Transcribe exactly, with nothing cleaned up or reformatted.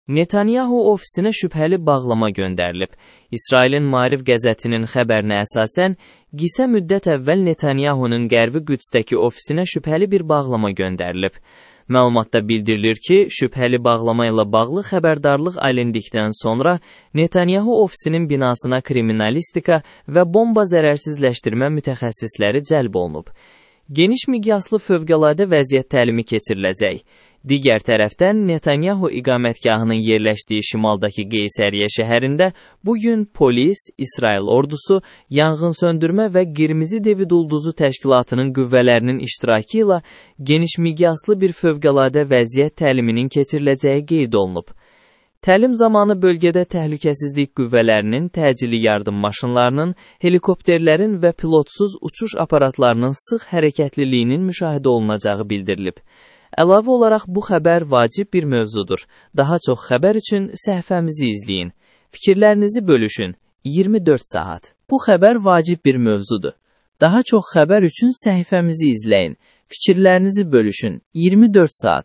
Netanyahu ofisinə şübhəli bağlama göndərilib. İsrailin Maariv qəzetinin xəbərinə əsasən, qısa müddət əvvəl Netanyahunun Qərbi Qüdsdəki ofisinə şübhəli bir bağlama göndərilib. Məlumatda bildirilir ki, şübhəli bağlama ilə bağlı xəbərdarlıq alındıqdan sonra Netanyahu ofisinin binasına kriminalistika və bomba zərərsizləşdirmə mütəxəssisləri cəlb olunub. Geniş miqyaslı fövqəladə vəziyyət təlimi keçiriləcək. Digər tərəfdən, Netanyahu iqamətgahının yerləşdiyi şimaldakı Qeysəriyyə şəhərində bugün polis, İsrail ordusu, yanğınsöndürmə və Qırmızı David Ulduzu təşkilatının qüvvələrinin iştirakı ilə geniş miqyaslı bir fövqəladə vəziyyət təliminin keçiriləcəyi qeyd olunub. Təlim zamanı bölgədə təhlükəsizlik qüvvələrinin, təcili yardım maşınlarının, helikopterlərin və pilotsuz uçuş aparatlarının sıx hərəkətliliyinin müşahidə olunacağı bildirilib. Əlavə olaraq bu xəbər vacib bir mövzudur. Daha çox xəbər üçün səhifəmizi izləyin. Fikirlərinizi bölüşün. iyirmi dörd saat. Bu xəbər vacib bir mövzudur. Daha çox xəbər üçün səhifəmizi izləyin. Fikirlərinizi bölüşün. iyirmi dörd saat.